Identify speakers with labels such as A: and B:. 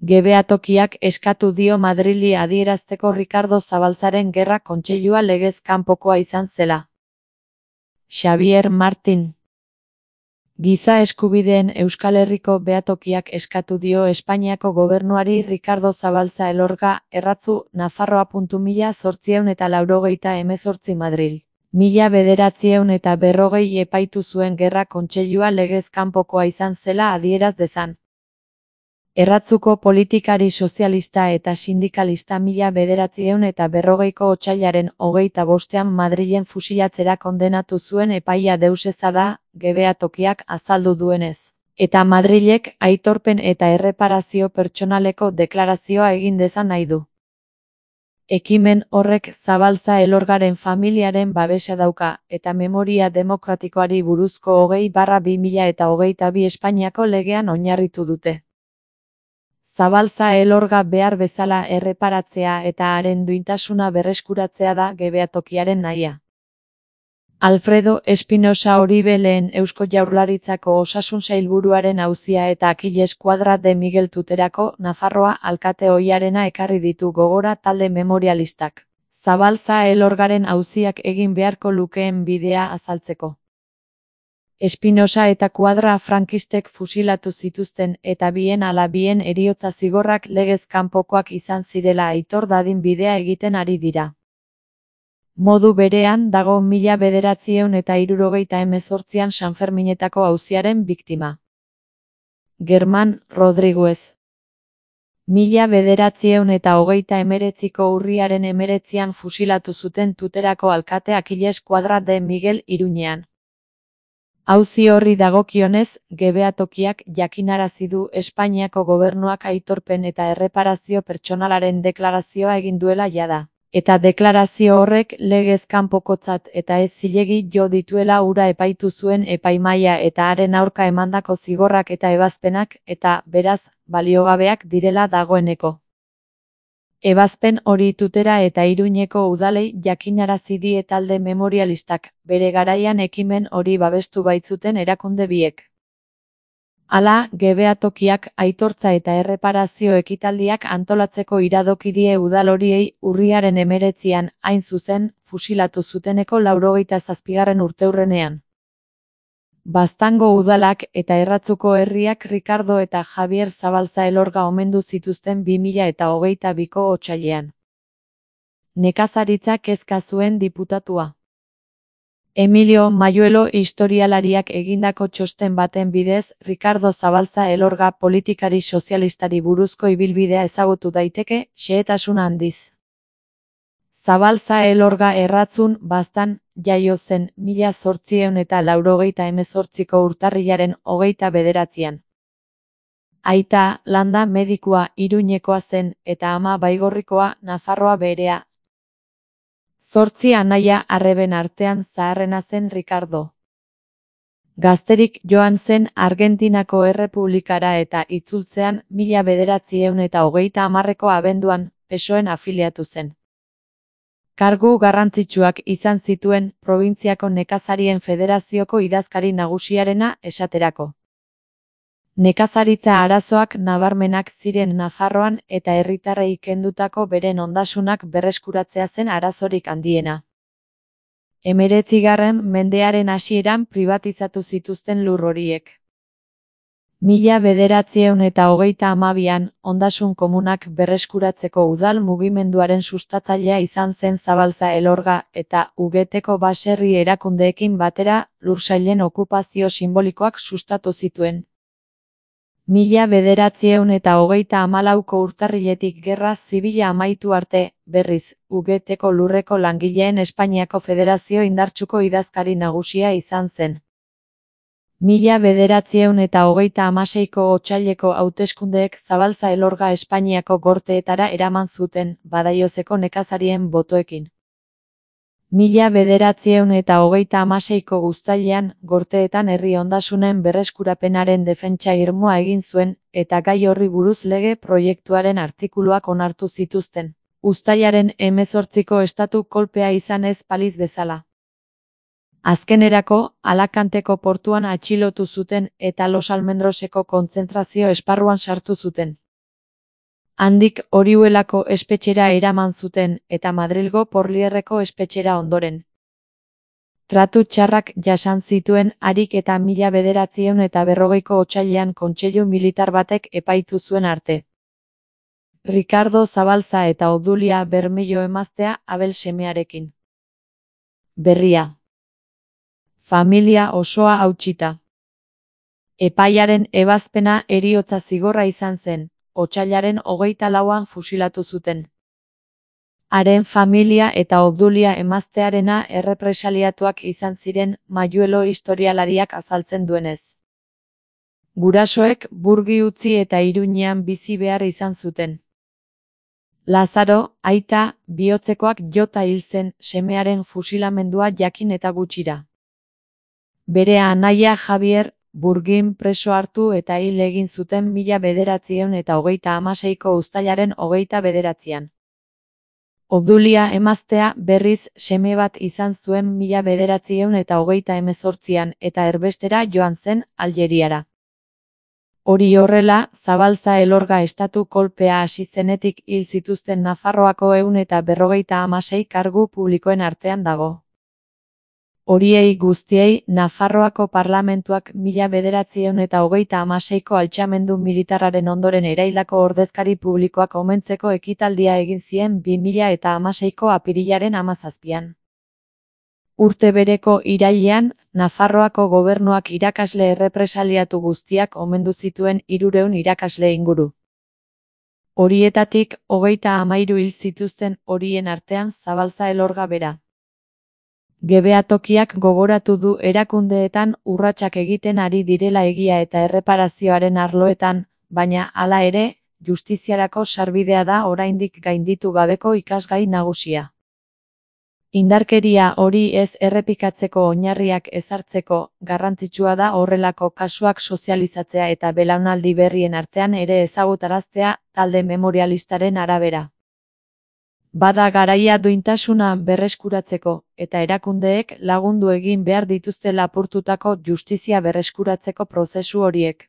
A: Gebeatokiak eskatu dio Madrili adierazteko Ricardo Zabalzaren Gerra Kontseilua legez kanpokoa izan zela. Xavier Martín. Giza eskubideen Euskal Herriko behatokiak eskatu dio Espainiako gobernuari Ricardo Zabalza Elorga, erratzu, Nafarroa. 1898 Madril. 1940 epaitu zuen Gerra Kontseilua legez kanpokoa izan zela adieraz dezan. Erratzuko politikari sozialista eta sindikalista 1940ko otsailaren 25ean Madrilen fusilatzera kondenatu zuen epaia deuseza da, gebeatokiak azaldu duenez. Eta Madrilek aitorpen eta erreparazio pertsonaleko deklarazioa egin dezan nahi du. Ekimen horrek Zabalza Elorgaren familiaren babesa dauka, eta memoria demokratikoari buruzko 20/2022 Espainiako legean oinarritu dute. Zabalza Elorga behar bezala erreparatzea eta haren duintasuna berreskuratzea da gebeatokiaren nahia. Alfredo Espinosa Oribe lehen Eusko Jaurlaritzako osasun sailburuaren auzia eta Akiles Kuadra de Miguel Tuterako Nafarroa alkate ohiarena ekarri ditu gogora talde memorialistak. Zabalza Elorgaren auziak egin beharko lukeen bidea azaltzeko. Espinosa eta Kuadra frankistek fusilatu zituzten eta bien ala bien heriotza zigorrak legez kanpokoak izan zirela aitor dadin bidea egiten ari dira. Modu berean dago 1978an Sanferminetako auziaren biktima. Germán Rodríguez. 1989ko urriaren 19an fusilatu zuten Tuterako alkate Akiles Kuadra de Miguel Iruñean. Auzi horri dagokionez, gebeatokiak jakinarazi du Espainiako gobernuak aitorpen eta erreparazio pertsonalaren deklarazioa egin duela jada. Eta deklarazio horrek legez kanpokotzat eta ez zilegi jo dituela hura epaitu zuen epaimahaia eta haren aurka emandako zigorrak eta ebazpenak eta, beraz, baliogabeak direla dagoeneko. Ebazpen hori Tutera eta Iruñeko udalei jakinarazi die talde memorialistak, bere garaian ekimen hori babestu baitzuten erakunde biek. Hala, gebeatokiak aitortza eta erreparazio ekitaldiak antolatzeko iradoki die udal horiei urriaren 19an, hain zuzen, fusilatu zuteneko 97. urteurrenean. Baztango udalak eta Erratzuko herriak Ricardo eta Javier Zabalza Elorga omendu zituzten 2022ko otsailean. Nekazaritza kezka zuen diputatua. Emilio Mayuelo historialariak egindako txosten baten bidez, Ricardo Zabalza Elorga politikari sozialistari buruzko ibilbidea ezagutu daiteke, xehetasun handiz. Zabalza Elorga Erratzun, Baztan, jaio zen 1888ko urtarrilaren 29an. Aita, landa medikua Iruñekoa zen, eta ama Baigorrikoa, Nafarroa berea. 8 anaia arreben artean zaharrena zen Ricardo. Gazterik joan zen Argentinako Errepublikara eta itzultzean 1930ko abenduan, PSOEn afiliatu zen. Kargu garrantzitsuak izan zituen Probintziako Nekazarien Federazioko idazkari nagusiarena esaterako. Nekazaritza arazoak nabarmenak ziren Nafarroan eta herritarrei kendutako beren ondasunak berreskuratzea zen arazorik handiena. 19. mendearen hasieran pribatizatu zituzten lur horiek. 1932an, ondasun komunak berreskuratzeko udal mugimenduaren sustatzailea izan zen Zabalza Elorga eta UGTko baserri erakundeekin batera lursailen okupazio simbolikoak sustatu zituen. 1934ko urtarriletik gerra zibila amaitu arte, berriz, UGTko lurreko langileen Espainiako Federazio indartsuko idazkari nagusia izan zen. 1936ko otsaileko hauteskundeek Zabalza Elorga Espainiako gorteetara eraman zuten, Badaiozeko nekazarien botoekin. 1936ko uztailean, gorteetan herri ondasunen berreskurapenaren defentsa irmoa egin zuen, eta gai horri buruz lege proiektuaren artikuluak onartu zituzten. Uztailaren 18ko estatu kolpea izan ez balitz bezala. Azkenerako, Alakanteko portuan atxilotu zuten eta Los Almendroseko kontzentrazio esparruan sartu zuten. Handik Orihuelako espetxera eraman zuten eta Madrilgo Porlierreko espetxera ondoren. Tratu txarrak jasan zituen harik eta 1940ko otsailean kontseilu militar batek epaitu zuen arte. Ricardo Zabalza eta Obdulia Bermello emaztea Abel semearekin. Berria. Familia osoa hautsita. Epaiaren ebazpena heriotza zigorra izan zen, otsailaren 24an fusilatu zuten. Haren familia eta Obdulia emaztearena errepresaliatuak izan ziren Mayuelo historialariak azaltzen duenez. Gurasoek Burgi utzi eta Iruñean bizi behar izan zuten. Lazaro, aita, bihotzekoak jota hil zen semearen fusilamendua jakin eta gutxira. Bere anaia Javier, Burgin preso hartu eta hil egin zuten 1936ko uztailaren 29an. Obdulia emaztea berriz seme bat izan zuen 1938an eta erbestera joan zen Aljeriara. Hori horrela, Zabalza Elorga estatu kolpea hasi zenetik hil zituzten Nafarroako 156 kargu publikoen artean dago. Horiei guztiei Nafarroako parlamentuak 1936ko altxamendu militarraren ondoren eraildako ordezkari publikoak omentzeko ekitaldia egin zien 2016ko apirilaren 17an. Urte bereko irailean, Nafarroako gobernuak irakasle errepresaliatu guztiak omendu zituen 300 irakasle inguru. Horietatik 33 hil zituzten horien artean Zabalza Elorga bera. Gebeatokiak gogoratu du erakundeetan urratsak egiten ari direla egia eta erreparazioaren arloetan, baina hala ere, justiziarako sarbidea da oraindik gainditu gabeko ikasgai nagusia. Indarkeria hori ez errepikatzeko oinarriak ezartzeko, garrantzitsua da horrelako kasuak sozializatzea eta belaunaldi berrien artean ere ezagutaraztea, talde memorialistaren arabera. Bada garaia duintasuna berreskuratzeko, eta erakundeek lagundu egin behar dituzte lapurtutako justizia berreskuratzeko prozesu horiek.